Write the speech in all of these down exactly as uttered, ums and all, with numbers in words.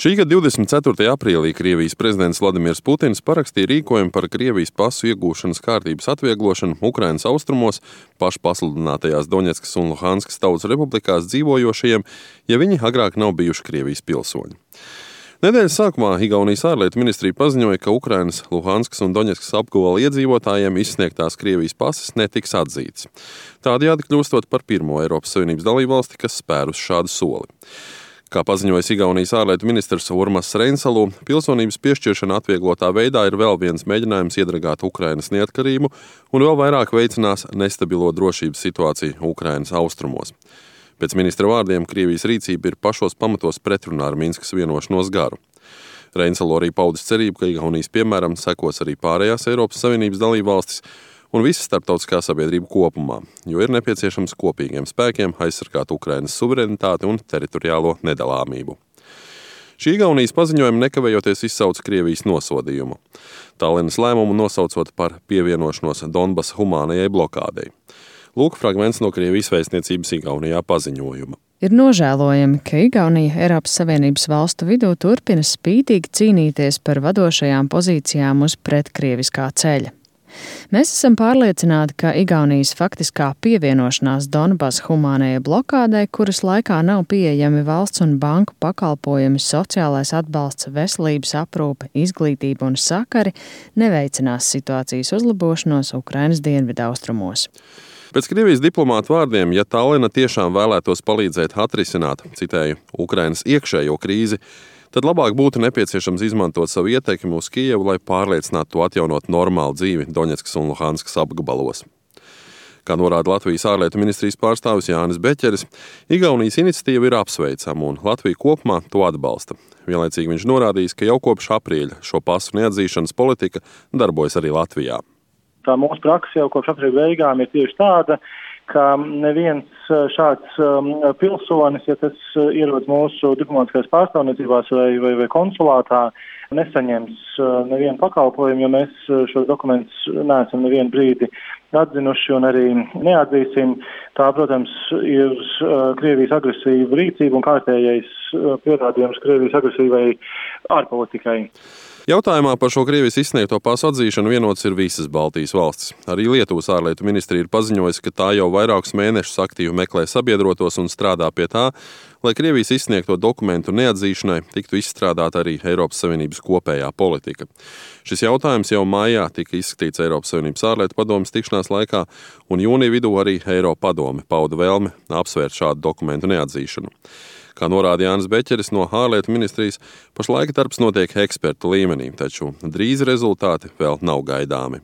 Šī gada divdesmit ceturtajā aprīlī Krievijas prezidents Vladimirs Putins parakstīja rīkojumu par Krievijas pasu iegūšanas kārtības atvieglošanu Ukrainas austrumos, pašpasludinātajās Doņetskas un Luhanskas tautas republikās dzīvojošajiem, ja viņi agrāk nav bijuši Krievijas pilsoņi. Nedēļas sākumā Igaunijas ārlietu ministrija paziņoja, ka Ukrainas, Luhanskas un Doņetskas apgabala iedzīvotājiem izsniegtās Krievijas pases netiks atzītas. Tādējādi kļūstot par pirmo Eiropas Savienības dalībvalsti, kas spērus šādu soli. Kā paziņoja Igaunijas ārlietu ministrs Urmas Reinsalu, pilsonības piešķiršana atvieglotā veidā ir vēl viens mēģinājums iedragāt Ukrainas neatkarību un vēl vairāk veicinās nestabilo drošības situāciju Ukrainas austrumos. Pēc ministra vārdiem Krievijas rīcība ir pašos pamatos pretrunā ar Minskas vienošanos garu. Reinsalu arī paudis cerību, ka Igaunijas piemēram sekos arī pārējās Eiropas Savienības dalībvalstis un visa starptautiskā sabiedrība kopumā, jo ir nepieciešams kopīgiem spēkiem aizsargāt Ukrainas suverenitāti un teritoriālo nedalāmību. Šī Igaunijas paziņojuma nekavējoties izsauca Krievijas nosodījumu. Tallinas lēmumu nosaucot par pievienošanos Donbasa humānajai blokādei. Lūk fragments no Krievijas vēstniecības Igaunijā paziņojuma. Ir nožēlojami, ka Igaunija Eiropas Savienības valstu vidū turpina spītīgi cīnīties par vadošajām pozīcijām uz pretkrieviskā ceļa. Mēs esam pārliecināti, ka Igaunijas faktiskā pievienošanās Donbasa humānajai blokādei, kuras laikā nav pieejami valsts un banku pakalpojumi, sociālais atbalsts, veselības aprūpe, izglītība un sakari, neveicinās situācijas uzlabošanos Ukrainas dienvidaustrumos. Pēc Krievijas diplomātu vārdiem, ja Tallina tiešām vēlētos palīdzēt atrisināt, citēju, Ukrainas iekšējo krīzi, tad labāk būtu nepieciešams izmantot savu ietekmi uz Kijevu, lai pārliecinātu to atjaunot normālu dzīvi Doņetskas un Luhanskas apgabalos. Kā norāda Latvijas ārlietu ministrijas pārstāvis Jānis Beķeris, Igaunijas iniciatīva ir apsveicama un Latvija kopumā to atbalsta. Vienlaicīgi viņš norādījis, ka jau kopš aprīļa šo pasu neatzīšanas politika darbojas arī Latvijā. Tā mūsu praksa jau kopš aprīļa beigām ir tieši tāda, ka neviens šāds um, pilsonis, ja tas ierodas mūsu diplomātiskās pārstāvniecībās vai, vai, vai konsulātā, nesaņems uh, nevienu pakalpojumu, jo mēs šos dokumentus neesam nevienu brīdi atzinuši un arī neatzīsim. Tā, protams, ir uh, Krievijas agresīva rīcība un kārtējais uh, pierādījums Krievijas agresīvai ārpolitikai. Jautājumā par šo Krievijas izsniegto pasu atzīšanu vienots ir visas Baltijas valstis. Arī Lietuvas ārlietu ministrija ir paziņojusi, ka tā jau vairākus mēnešus aktīvi meklē sabiedrotos un strādā pie tā, lai Krievijas izsniegto dokumentu neatzīšanai tiktu izstrādāta arī Eiropas Savienības kopējā politika. Šis jautājums jau mājā tika izskatīts Eiropas Savienības ārlietu padomes tikšanās laikā, un jūnija vidū arī Eiropa padome pauda vēlmi apsvērt šādu dokumentu neatzīšanu. Kā norāda Jānis Beķeris no ārlietu ministrijas, pašlaik darbs notiek ekspertu līmenī, taču drīz rezultāti vēl nav gaidāmi.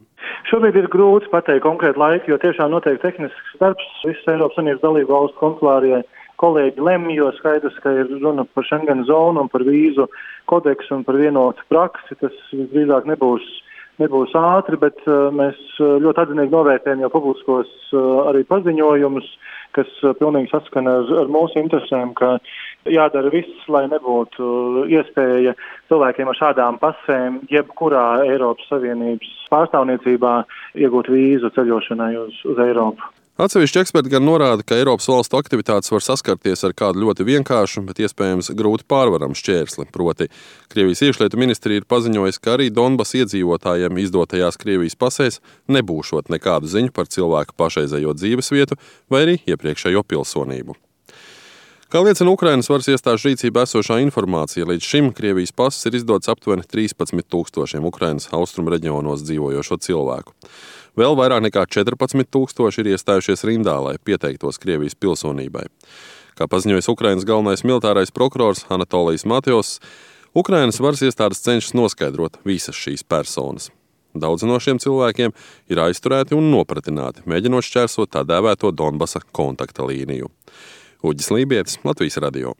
Šobrīd ir grūti pateikt konkrētu laiku, jo tiešām notiek tehnisks darbs. Visas Eiropas Savienības dalību valstu konsulārie kolēģi lemj, jo skaidrs, ka ir runa par Schengen zonu un par vīzu kodeksu un par vienotu praksi. Tas visdrīzāk nebūs, nebūs ātri, bet uh, mēs ļoti atzinīgi novērtējam jau publiskos uh, arī paziņojumus, kas uh, pilnīgi saskana ar, ar mūsu interesēm, ka jādara viss, lai nebūtu iespēja cilvēkiem ar šādām pasēm jebkurā Eiropas Savienības pārstāvniecībā iegūt vīzu ceļošanai uz, uz Eiropu. Atsevišķi eksperti gan norāda, ka Eiropas valstu aktivitātes var saskarties ar kādu ļoti vienkāršu, bet iespējams grūti pārvaramu šķērsli. Proti, Krievijas iekšlietu ministrija ir paziņojusi, ka arī Donbasa iedzīvotājiem izdotajās Krievijas pasēs nebūšot nekādu ziņu par cilvēku pašreizējo dzīvesvietu vai arī iepriekšējo pilsonību. Kā liecina Ukrainas varas iestāžu rīcībā esošā informācija, līdz šim Krievijas pases ir izdots aptuveni trīspadsmit tūkstošiem Ukrainas austrumu reģionos dzīvojošo cilvēku. Vēl vairāk nekā četrpadsmit tūkstoši ir iestājušies rindā, lai pieteiktos Krievijas pilsonībai. Kā paziņojis Ukrainas galvenais militārais prokurors Anatolijs Matjos, Ukrainas varas iestādes cenšas noskaidrot visas šīs personas. Daudzi no šiem cilvēkiem ir aizturēti un nopratināti, mēģinot šķērsot tā dēvēto Donbasa kontakta līniju. Uģis Lībietis, Latvijas radio.